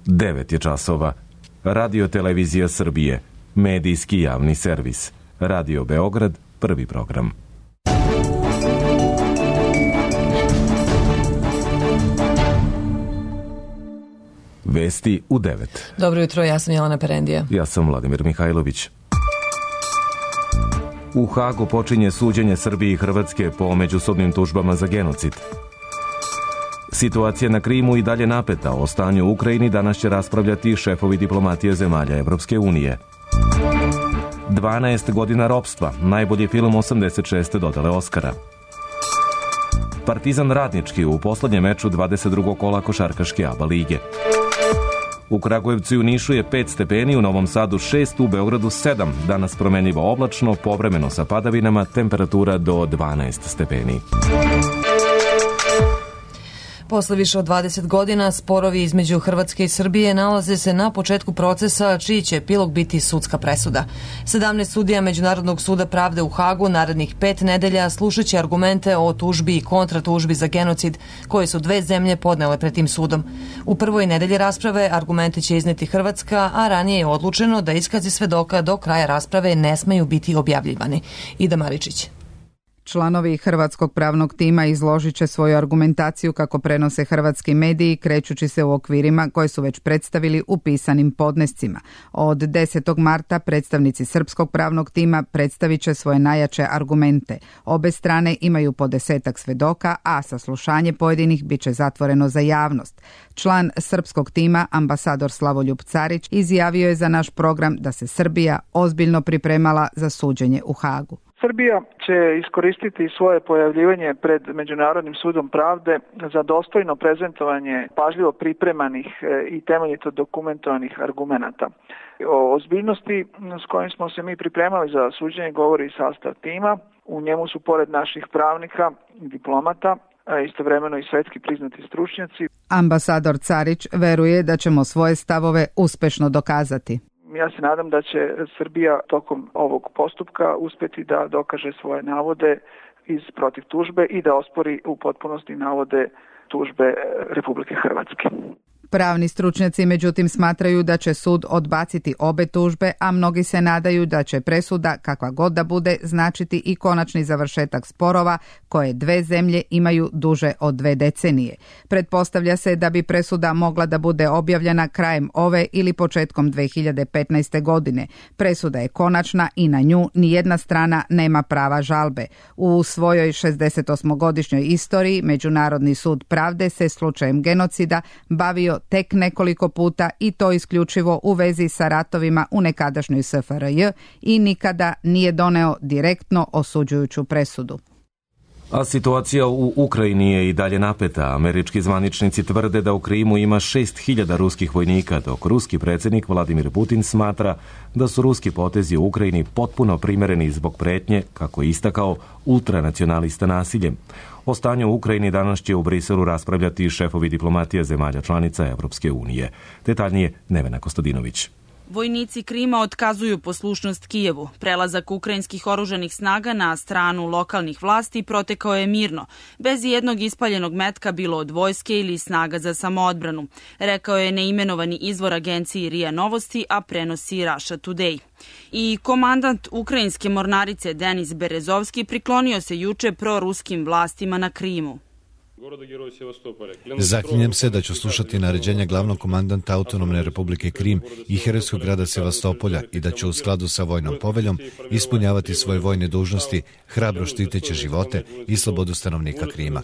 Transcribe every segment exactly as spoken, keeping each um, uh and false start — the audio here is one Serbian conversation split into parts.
devet je časova. Radio Televizija Srbije, medijski javni servis. Radio Beograd, prvi program. Vesti u devet. Dobro jutro, ja sam Jelena Perendija. Ja sam Vladimir Mihajlović. U Hagu počinje suđenje Srbije i Hrvatske po međusobnim tužbama za genocid. Situacija na Krimu i dalje napeta. O stanju u Ukrajini danas će raspravljati šefovi diplomatije zemalja Evropske unije. dvanaest godina ropstva, najbolji film osamdeset šeste dodele Oskara. Partizan Radnički u poslednjem meču dvadeset drugog kola košarkaške A B A lige. U Kragujevcu i u Nišu je pet stepeni, u Novom Sadu šest, u Beogradu sedam. Danas promenljivo oblačno, povremeno sa padavinama, temperatura do dvanaest stepeni. Posle više od dvadeset godina sporovi između Hrvatske i Srbije nalaze se na početku procesa čiji će epilog biti sudska presuda. sedamnaest sudija Međunarodnog suda pravde u Hagu narednih pet nedelja slušaće argumente o tužbi i kontratužbi za genocid koje su dve zemlje podnele pred tim sudom. U prvoj nedelji rasprave argumente će izneti Hrvatska, a ranije je odlučeno da iskazi svedoka do kraja rasprave ne smeju biti objavljivani. Ida Maričić. Članovi hrvatskog pravnog tima izložit će svoju argumentaciju kako prenose hrvatski mediji, krećući se u okvirima koje su već predstavili u pisanim podnescima. Od desetog marta predstavnici srpskog pravnog tima predstavit će svoje najjače argumente. Obe strane imaju po desetak svedoka, a saslušanje pojedinih bit će zatvoreno za javnost. Član srpskog tima, ambasador Slavoljub Carić, izjavio je za naš program da se Srbija ozbiljno pripremala za suđenje u Hagu. Srbija će iskoristiti svoje pojavljivanje pred Međunarodnim sudom pravde za dostojno prezentovanje pažljivo pripremanih i temeljito dokumentovanih argumenata. O ozbiljnosti s kojim smo se mi pripremali za suđenje govori i sastav tima. U njemu su pored naših pravnika i diplomata istovremeno i svetski priznati stručnjaci. Ambasador Carić veruje da ćemo svoje stavove uspešno dokazati. Ja se nadam da će Srbija tokom ovog postupka uspjeti da dokaže svoje navode iz protiv tužbe i da ospori u potpunosti navode tužbe Republike Hrvatske. Pravni stručnjaci međutim smatraju da će sud odbaciti obe tužbe, a mnogi se nadaju da će presuda, kakva god da bude, značiti i konačni završetak sporova koje dve zemlje imaju duže od dve decenije. Pretpostavlja se da bi presuda mogla da bude objavljena krajem ove ili početkom dve hiljade petnaeste. godine. Presuda je konačna i na nju nijedna strana nema prava žalbe. U svojoj šezdesetosmogodišnjoj istoriji Međunarodni sud pravde se slučajem genocida bavio tek nekoliko puta i to isključivo u vezi sa ratovima u nekadašnjoj S F R J i nikada nije doneo direktno osuđujuću presudu. A situacija u Ukrajini je i dalje napeta. Američki zvaničnici tvrde da u Krimu ima šest hiljada ruskih vojnika, dok ruski predsjednik Vladimir Putin smatra da su ruski potezi u Ukrajini potpuno primereni zbog pretnje, kako je istakao, ultranacionalista nasiljem. O stanju u Ukrajini danas će u Briselu raspravljati šefovi diplomatije zemalja članica Evropske unije. Detaljnije Nevena Kostadinović. Vojnici Krima otkazuju poslušnost Kijevu. Prelazak ukrajinskih oružanih snaga na stranu lokalnih vlasti protekao je mirno, bez jednog ispaljenog metka bilo od vojske ili snaga za samoodbranu, rekao je neimenovani izvor agenciji R I A Novosti, a prenosi Russia Today. I komandant ukrajinske mornarice Denis Berezovski priklonio se juče proruskim vlastima na Krimu. Zaklinjem se da ću slušati naređenja glavnog komandanta Autonomne republike Krim i herojskog grada Sevastopolja i da ću u skladu sa vojnom poveljom ispunjavati svoje vojne dužnosti, hrabro štiteći živote i slobodu stanovnika Krima.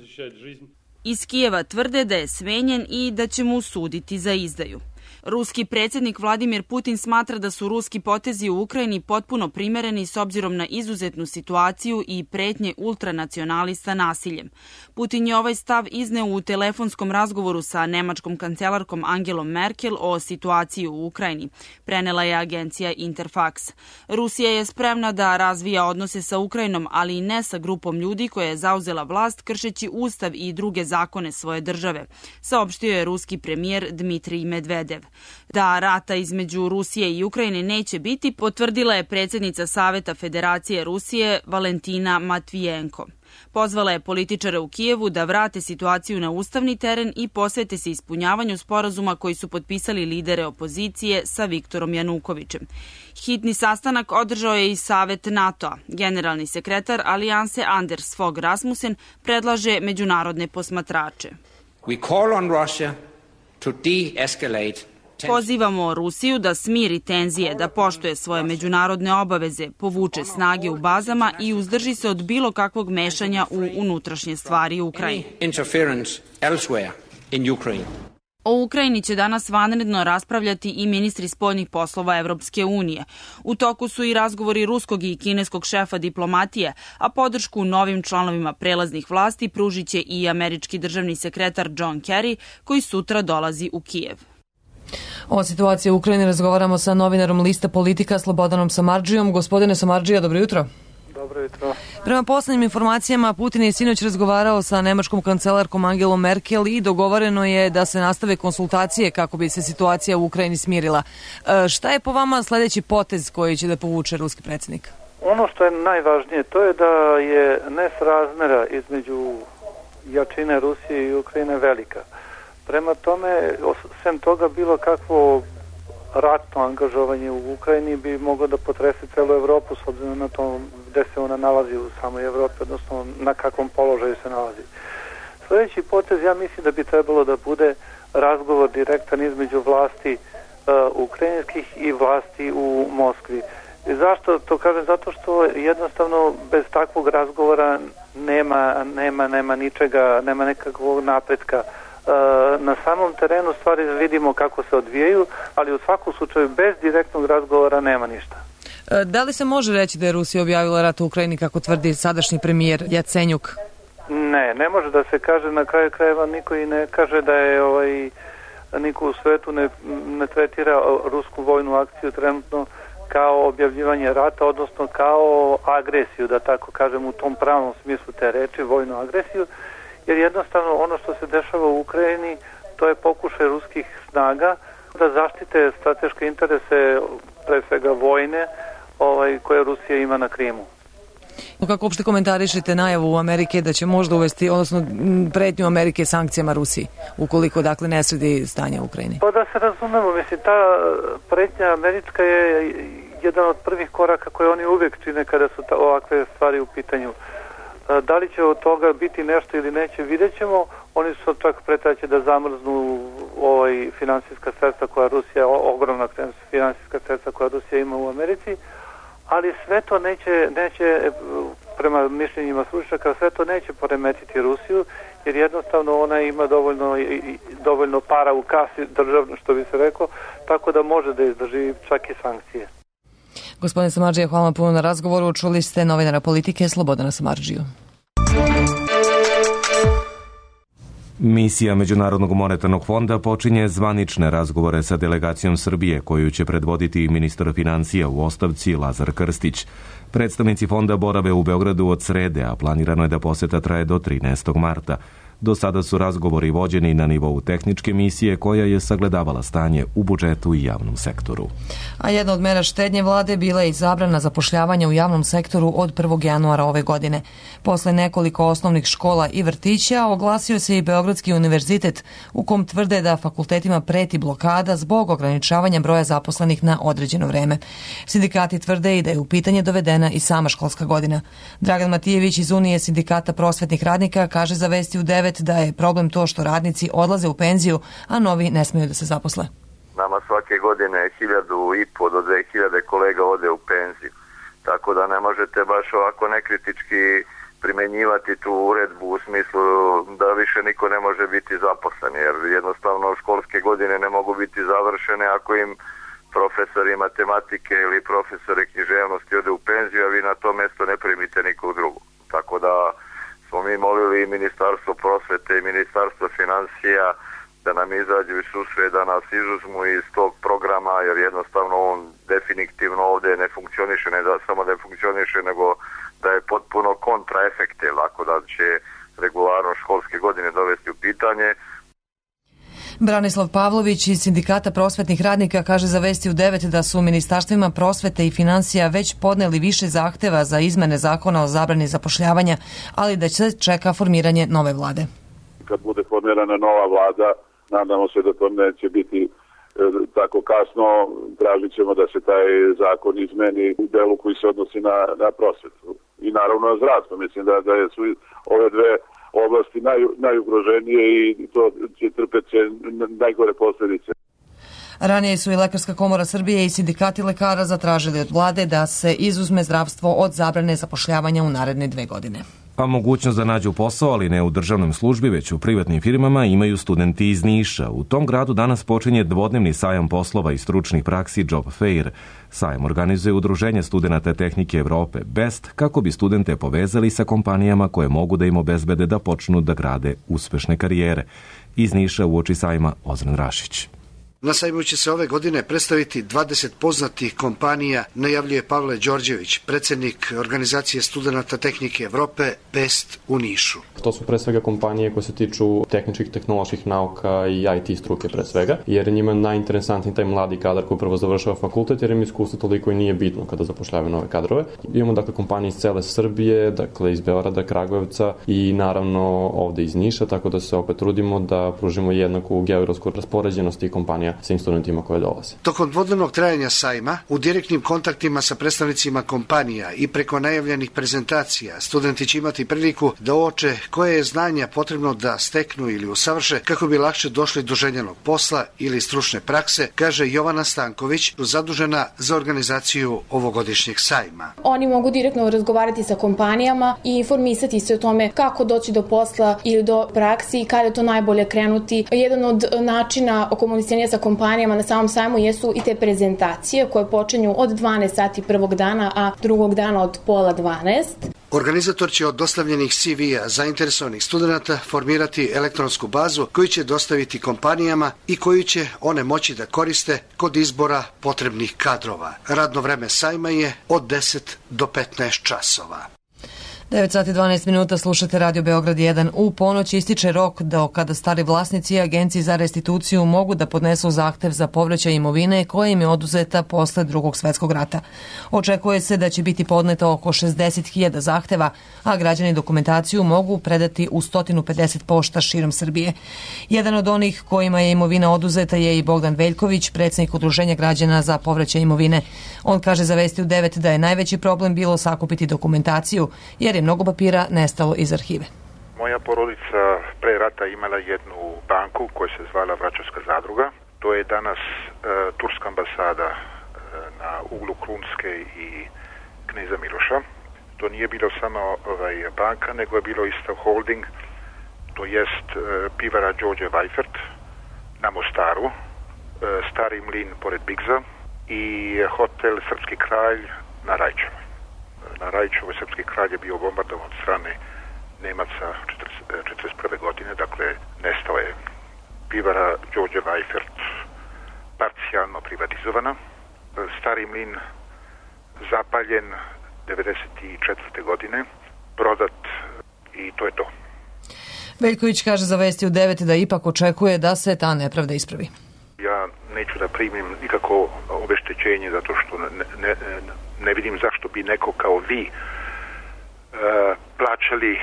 Iz Kijeva tvrde da je smenjen i da će mu suditi za izdaju. Ruski predsjednik Vladimir Putin smatra da su ruski potezi u Ukrajini potpuno primereni s obzirom na izuzetnu situaciju i pretnje ultranacionalista nasiljem. Putin je ovaj stav izneo u telefonskom razgovoru sa nemačkom kancelarkom Angelom Merkel o situaciji u Ukrajini, prenela je agencija Interfax. Rusija je spremna da razvija odnose sa Ukrajinom, ali i ne sa grupom ljudi koja je zauzela vlast kršeći ustav i druge zakone svoje države, saopštio je ruski premijer Dmitrij Medvedev. Medvedev. Da rata između Rusije i Ukrajine neće biti, potvrdila je predsjednica Saveta Federacije Rusije Valentina Matvijenko. Pozvala je političare u Kijevu da vrate situaciju na ustavni teren i posvete se ispunjavanju sporazuma koji su potpisali lidere opozicije sa Viktorom Janukovićem. Hitni sastanak održao je i Savet NATO-a. Generalni sekretar Alijanse Anders Fogh Rasmussen predlaže međunarodne posmatrače. We call on Russia to de-escalate. Pozivamo Rusiju da smiri tenzije, da poštuje svoje međunarodne obaveze, povuče snage u bazama i uzdrži se od bilo kakvog mešanja u unutrašnje stvari Ukrajine. O Ukrajini će danas vanredno raspravljati i ministri spoljnih poslova Evropske unije. U toku su i razgovori ruskog i kineskog šefa diplomatije, a podršku novim članovima prelaznih vlasti pružit će i američki državni sekretar John Kerry, koji sutra dolazi u Kijev. O situaciji u Ukrajini razgovaramo sa novinarom Lista Politika Slobodanom Samardžijom. Gospodine Samardžija, dobro jutro. Dobro jutro. Prema poslednjim informacijama, Putin je sinoć razgovarao sa nemačkom kancelarkom Angelom Merkel i dogovoreno je da se nastave konsultacije kako bi se situacija u Ukrajini smirila. E, šta je po vama sledeći potez koji će da povuče ruski predsjednik? Ono što je najvažnije, to je da je nesrazmera između jačine Rusije i Ukrajine velika. Prema tome, sem toga, bilo kakvo ratno angažovanje u Ukrajini bi moglo da potrese celu Evropu s obzirom na to gde se ona nalazi u samoj Evropi, odnosno na kakvom položaju se nalazi. Sljedeći potez, ja mislim da bi trebalo da bude razgovor direktan između vlasti uh, ukrajinskih i vlasti u Moskvi. I zašto to kažem? Zato što jednostavno bez takvog razgovora nema, nema, nema ničega, nema nekakvog napretka. Na samom terenu stvari vidimo kako se odvijaju, ali u svakom slučaju bez direktnog razgovora nema ništa. Da li se može reći da je Rusija objavila rat u Ukrajini kako tvrdi sadašnji premijer Jacenjuk? Ne, ne može da se kaže, na kraju krajeva niko i ne kaže da je ovaj, niko u svetu ne, ne tretira rusku vojnu akciju trenutno kao objavljivanje rata, odnosno kao agresiju, da tako kažem u tom pravom smislu te reči, vojnu agresiju. Jer jednostavno ono što se dešava u Ukrajini, to je pokušaj ruskih snaga da zaštite strateške interese, pre svega vojne, ovaj, koje Rusija ima na Krimu. Kako uopšte komentarišete najavu Amerike da će možda uvesti, odnosno pretnju Amerike sankcijama Rusiji, ukoliko dakle ne sredi stanje u Ukrajini? Pa da se razumemo, mislim, ta pretnja američka je jedan od prvih koraka koje oni uvijek čine kada su ta, ovakve stvari u pitanju. Da li će od toga biti nešto ili neće, vidjet ćemo. Oni su čak pretaće da zamrznu ovaj finansijska sredstva koja Rusija, ogromna finansijska sredstva koja Rusija ima u Americi, ali sve to neće, neće prema mišljenjima stručnjaka, sve to neće poremetiti Rusiju, jer jednostavno ona ima dovoljno, dovoljno para u kasi državno, što bi se rekao, tako da može da izdrži čak i sankcije. Gospodine Samardžija, hvala vam puno na razgovoru. Čuli ste novinara Politike Slobodana Samardžiju. Misija Međunarodnog monetarnog fonda počinje zvanične razgovore sa delegacijom Srbije, koju će predvoditi ministar financija u ostavci Lazar Krstić. Predstavnici fonda borave u Beogradu od srede, a planirano je da poseta traje do trinaestog marta. Do sada su razgovori vođeni na nivou tehničke misije koja je sagledavala stanje u budžetu i javnom sektoru. A jedna od mera štednje vlade bila je i zabrana zapošljavanja u javnom sektoru od prvog januara ove godine. Posle nekoliko osnovnih škola i vrtića oglasio se i Beogradski univerzitet, u kom tvrde da fakultetima preti blokada zbog ograničavanja broja zaposlenih na određeno vreme. Sindikati tvrde i da je u pitanje dovedena i sama školska godina. Dragan Matijević iz Unije sindikata prosvetnih radnika kaže za Vesti u devet da je problem to što radnici odlaze u penziju, a novi ne smiju da se zaposle. Nama svake godine hiljadu i po do dve hiljade kolega ode u penziju, tako da ne možete baš ovako nekritički primenjivati tu uredbu u smislu da više niko ne može biti zaposlen, jer jednostavno školske godine ne mogu biti završene ako im profesori matematike ili profesori književnosti ode u penziju, a vi na to mesto ne primite nikog drugog. Tako da smo mi molili i Ministarstvo prosvete i Ministarstvo financija da nam izađu i susret, da nas izuzmu iz tog programa, jer jednostavno on definitivno ovdje ne funkcioniše, ne da samo ne funkcioniše, nego da je potpuno kontraefekte, lako da će regularno školske godine dovesti u pitanje. Branislav Pavlović iz Sindikata prosvetnih radnika kaže za Vesti u devet da su u ministarstvima prosvete i finansija već podneli više zahteva za izmene zakona o zabrani zapošljavanja, ali da se čeka formiranje nove vlade. Kad bude formirana nova vlada, nadamo se da to neće biti e, tako kasno, tražit ćemo da se taj zakon izmeni u delu koji se odnosi na, na prosvetu. I naravno na zdravstvo. Mislim da, da su ove dve oblasti naj, najugroženije i to će trpeti najgore posljedice. Ranije su i Lekarska komora Srbije i sindikati lekara zatražili od vlade da se izuzme zdravstvo od zabrane zapošljavanja u naredne dve godine. A mogućnost da nađu posao, ali ne u državnom službi, već u privatnim firmama, imaju studenti iz Niša. U tom gradu danas počinje dvodnevni sajam poslova i stručnih praksi Job Fair. Sajam organizuje Udruženje studenata tehnike Evrope Best kako bi studente povezali sa kompanijama koje mogu da im obezbede da počnu da grade uspešne karijere. Iz Niša uoči sajma Ozren Rašić. Na sajmu će se ove godine predstaviti dvadeset poznatih kompanija, najavljuje Pavle Đorđević, predsjednik organizacije studenata tehnike Evrope Best u Nišu. To su pre svega kompanije koje se tiču tehničkih, tehnoloških nauka i I T struke pre svega, jer njima je najinteresantniji taj mladi kadar koji upravo završava fakultet, jer im iskustvo toliko i nije bitno kada zapošljavaju nove kadrove. Imamo dakle kompanije iz cele Srbije, dakle iz Beograda, Kragujevca i naravno ovde iz Niša, tako da se opet trudimo da pružimo jednaku geografsku raspoređenost tih kompanija svim studentima koje dolaze. Tokom dvodnevnog trajanja sajma, u direktnim kontaktima sa predstavnicima kompanija i preko najavljenih prezentacija, studenti će imati priliku da uoče koje je znanja potrebno da steknu ili usavrše kako bi lakše došli do željenog posla ili stručne prakse, kaže Jovana Stanković, zadužena za organizaciju ovogodišnjeg sajma. Oni mogu direktno razgovarati sa kompanijama i informisati se o tome kako doći do posla ili do praksi i kada je to najbolje krenuti. Jedan od načina komuniciranja sa kompanijama na samom sajmu jesu i te prezentacije koje počinju od dvanaest sati prvog dana, a drugog dana od pola dvanaest. Organizator će od dostavljenih C V-a zainteresovanih studenta formirati elektronsku bazu koju će dostaviti kompanijama i koju će one moći da koriste kod izbora potrebnih kadrova. Radno vreme sajma je od deset do petnaest časova. devet sati i dvanaest minuta, slušate Radio Beograd jedan. U ponoć ističe rok do kada stari vlasnici Agenciji za restituciju mogu da podnesu zahtev za povraćaj imovine koja im je oduzeta posle Drugog svetskog rata. Očekuje se da će biti podneto oko šezdeset hiljada zahteva, a građani dokumentaciju mogu predati u sto pedeset pošta širom Srbije. Jedan od onih kojima je imovina oduzeta je i Bogdan Veljković, predsjednik Udruženja građana za povraćaj imovine. On kaže za Vesti u devet da je najveći problem bilo sakupiti dokumentaciju, jer je mnogo papira nestalo iz arhive. Moja porodica pre rata imala jednu banku koja se zvala Vračarska zadruga. To je danas e, turska ambasada e, na uglu Krunske i Kneza Miloša. To nije bilo samo ovaj, banka, nego je bilo isto holding, to jest e, pivara Đorđe Vajfert na Mostaru, e, Stari mlin pored Bigza i hotel Srpski kralj na Rajčevoj. Na Rajčevoj Srpski kralj je bio bombardovan od strane Nemaca četrdeset prve godine, dakle nestao je. Pivara Đorđe Vajfert parcijalno privatizovana. Stari mlin zapaljen devedeset četvrte godine, prodat i to je to. Veljković kaže za Vesti u devet da ipak očekuje da se ta nepravda ispravi. Ja neću da primim nikako obeštećenje zato što ne, ne, ne vidim zašto bi neko kao vi e, plaćali e,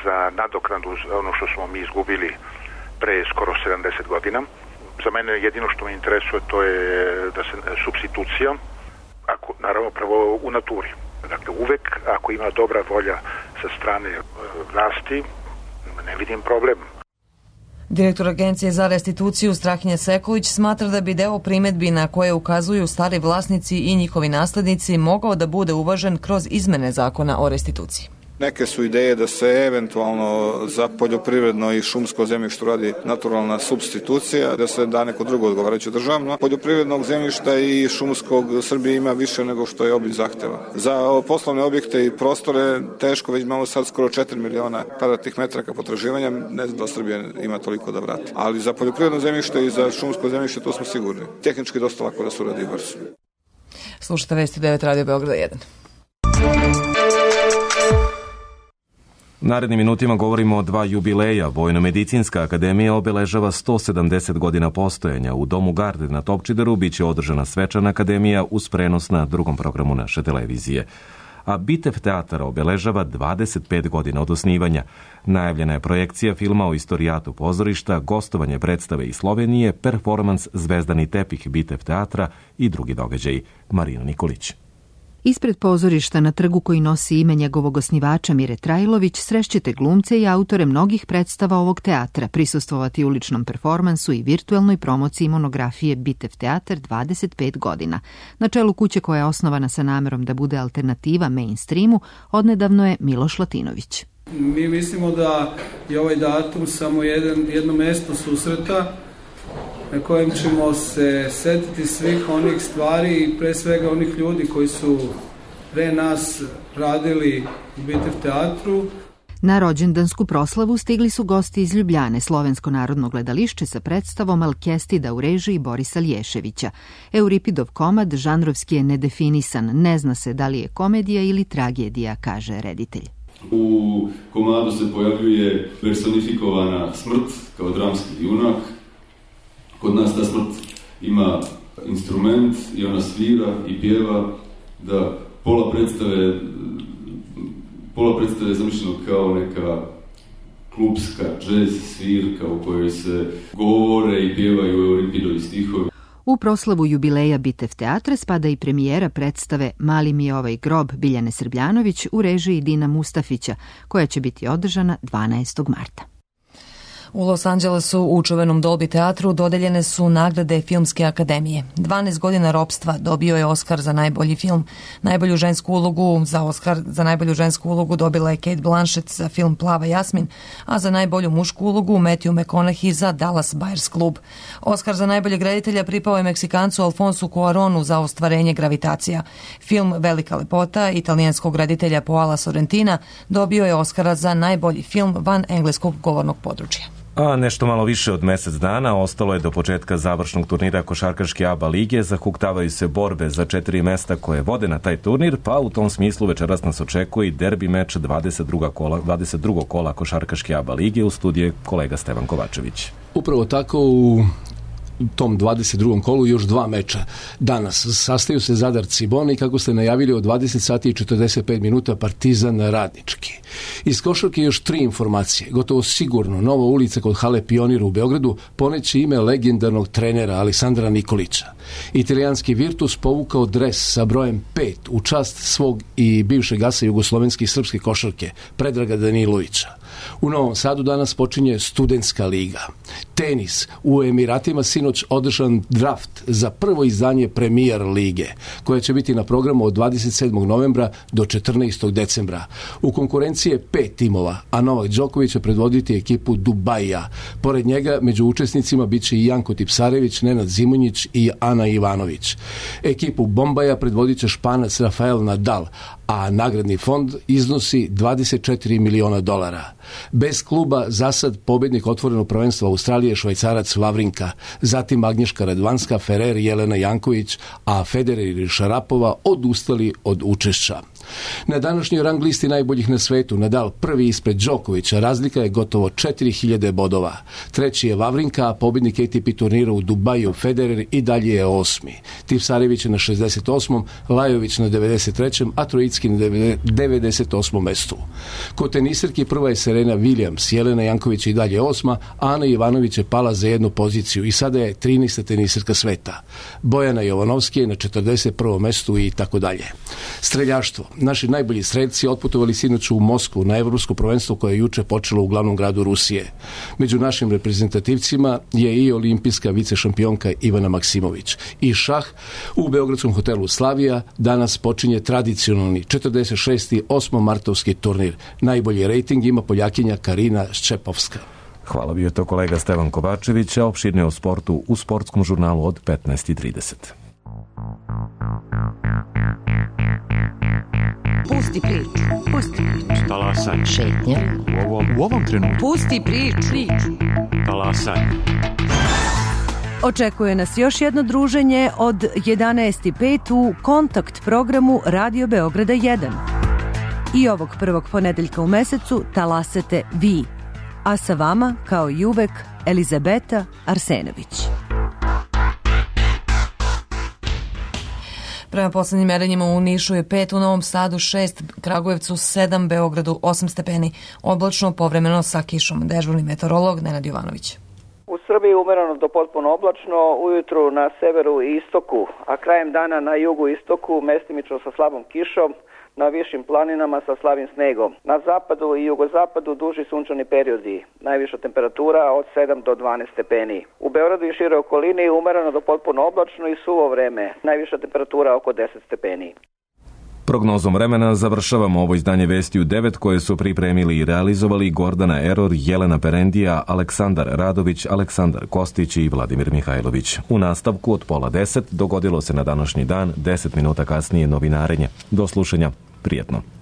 za nadoknadu ono što smo mi izgubili pre skoro sedamdeset godina. Za mene jedino što me interesuje to je da se supstitucija, ako, naravno prvo u naturi. Dakle uvek ako ima dobra volja sa strane e, vlasti, ne vidim problem. Direktor Agencije za restituciju Strahinja Sekulić smatra da bi deo primetbi na koje ukazuju stari vlasnici i njihovi naslednici mogao da bude uvažen kroz izmene zakona o restituciji. Neke su ideje da se eventualno za poljoprivredno i šumsko zemljište radi naturalna supstitucija, da se da neko drugo odgovarajuće državno. Poljoprivrednog zemljišta i šumskog Srbije ima više nego što je obim zahteva. Za poslovne objekte i prostore teško, već imamo sad skoro četiri miliona kvadratnih metara potraživanja, ne znam da Srbija ima toliko da vrati. Ali za poljoprivredno zemljište i za šumsko zemljište to smo sigurni. Tehnički dosta lako da se uradi brzo. Slušate Vesti devet Radio Beograda jedan. Narednim minutima govorimo o dva jubileja. Vojno-medicinska akademija obeležava sto sedamdeset godina postojanja. U Domu Garde na Topčideru biće održana svečana akademija uz prenos na drugom programu naše televizije. A Bitev teatar obeležava dvadeset pet godina od osnivanja. Najavljena je projekcija filma o istorijatu pozorišta, gostovanje predstave iz Slovenije, performans Zvezdani tepih Bitev teatra i drugi događaji. Marina Nikolić. Ispred pozorišta na trgu koji nosi ime njegovog osnivača Mire Trajlović srešćete glumce i autore mnogih predstava ovog teatra, prisustvovati uličnom performansu i virtuelnoj promociji monografije Bitev teatar dvadeset pet godina. Na čelu kuće koja je osnovana sa namerom da bude alternativa mainstreamu, odnedavno je Miloš Latinović. Mi mislimo da je ovaj datum samo jedan, jedno mesto susreta na kojem ćemo se setiti svih onih stvari i pre svega onih ljudi koji su pre nas radili u Bitev teatru. Na rođendansku proslavu stigli su gosti iz Ljubljane, Slovensko narodno gledališće sa predstavom Alkestida u režiji Borisa Lješevića. Euripidov komad žanrovski je nedefinisan, ne zna se da li je komedija ili tragedija, kaže reditelj. U komadu se pojavljuje personifikovana smrt kao dramski junak. Kod nas ta smrt ima instrument i ona svira i pjeva, da pola predstave, pola predstave je zamišljeno kao neka klubska džez svirka u kojoj se govore i pjevaju Euripidovi stihovi. U proslavu jubileja Bitev teatra spada i premijera predstave Mali mi je ovaj grob Biljane Srbljanović u režiji Dina Mustafića, koja će biti održana dvanaestog marta. U Los Angelesu u čuvenom Dolby teatru dodeljene su nagrade Filmske akademije. dvanaest godina ropstva dobio je Oskar za najbolji film. Najbolju žensku ulogu za Oskar za najbolju žensku ulogu dobila je Cate Blanchett za film Plava jasmin, a za najbolju mušku ulogu Matthew McConaughey za Dallas Buyers Club. Oskar za najboljeg reditelja pripao je Meksikancu Alfonsu Cuaronu za ostvarenje Gravitacija. Film Velika lepota italijanskog reditelja Paola Sorrentina dobio je Oskara za najbolji film van engleskog govornog područja. A nešto malo više od mesec dana ostalo je do početka završnog turnira košarkaške A B A lige. Zahuktavaju se borbe za četiri mesta koje vode na taj turnir, pa u tom smislu večeras nas očekuje i derbi meč dvadeset drugog kola, dvadeset drugog kola košarkaške A B A lige. U studiju kolega Stevan Kovačević. Upravo tako u tom dvadeset drugom kolu još dva meča. Danas sastaju se Zadar Cibona i kako ste najavili od dvadeset sati i četrdeset pet minuta Partizan Radnički. Iz košarke još tri informacije. Gotovo sigurno nova ulica kod hale Pionir u Beogradu poneće ime legendarnog trenera Aleksandra Nikolića. Italijanski Virtus povukao dres sa brojem pet u čast svog i bivšeg asa jugoslovenske i srpske košarke Predraga Danilovića. U Novom Sadu danas počinje studentska liga. Tenis. U Emiratima sinoć održan draft za prvo izdanje Premier lige, koja će biti na programu od dvadeset sedmog novembra do četrnaestog decembra. U konkurenciji je pet timova, a Novak Đoković će predvoditi ekipu Dubaija. Pored njega među učesnicima bit će i Janko Tipsarević, Nenad Zimonjić i Ana Ivanović. Ekipu Bombaja predvodit će Španac Rafael Nadal, a nagradni fond iznosi dvadeset četiri miliona dolara. Bez kluba zasad pobjednik otvorenog prvenstva Australije Švajcarac Vavrinka, zatim Agnješka Radvanska, Ferrer, Jelena Janković, a Federer i Šarapova odustali od učešća. Na današnjoj rang listi najboljih na svetu Nadal prvi ispred Đokovića, razlika je gotovo četiri hiljade bodova. Treći je Vavrinka, a pobjednik A T P turnira u Dubaju Federer i dalje je osmi. Tipsarević je na šezdeset osmom, Lajović na devedeset trećem, a Trojicki na devedeset osmom mestu. Kod tenisarki prva je Serena Williams, Jelena Janković i dalje osma, a Ana Ivanović je pala za jednu poziciju i sada je trinaesta tenisarka sveta. Bojana Jovanovski je na četrdeset prvom mestu i tako dalje. Streljaštvo. Naši najbolji streljci otputovali sinoć u Moskvu na evropsko prvenstvo koje je juče počelo u glavnom gradu Rusije. Među našim reprezentativcima je i olimpijska vicešampionka Ivana Maksimović. I šah u beogradskom hotelu Slavija danas počinje tradicionalni četrdeset šesti osmomartovski turnir. Najbolji rejting ima Poljakinja Karina Ščepovska. Hvala, bio je to kolega Stevan Kovačević, a opširnije o sportu u sportskom žurnalu od petnaest i trideset. Pusti priču, pusti priču. Talasaj. Šetnja. U ovom, u ovom trenutku. Pusti priču. priču. Talasaj. Očekuje nas još jedno druženje od jedanaest i pet u Kontakt programu Radio Beograda jedan. I ovog prvog ponedeljka u mesecu talasate vi. A sa vama, kao i uvek, Elizabeta Arsenović. Prema poslednjim merenjima u Nišu je pet, u Novom Sadu šest, Kragujevcu sedam, Beogradu osam stepeni. Oblačno, povremeno sa kišom. Dežurni meteorolog Nenad Jovanović. U Srbiji umereno do potpuno oblačno, ujutru na severu i istoku, a krajem dana na jugu i istoku mestimično sa slabom kišom, na višim planinama sa slabim snegom. Na zapadu i jugozapadu duži sunčani periodi, najviša temperatura od sedam do dvanaest stepeni. U Beogradu i šire okolini umereno do potpuno oblačno i suvo vreme, najviša temperatura oko deset stepeni. Prognozom vremena završavamo ovo izdanje Vesti u devet koje su pripremili i realizovali Gordana Eror, Jelena Perendija, Aleksandar Radović, Aleksandar Kostić i Vladimir Mihajlović. U nastavku od pola deset dogodilo se na današnji dan, deset minuta kasnije novinarenje. Do slušanja, prijetno.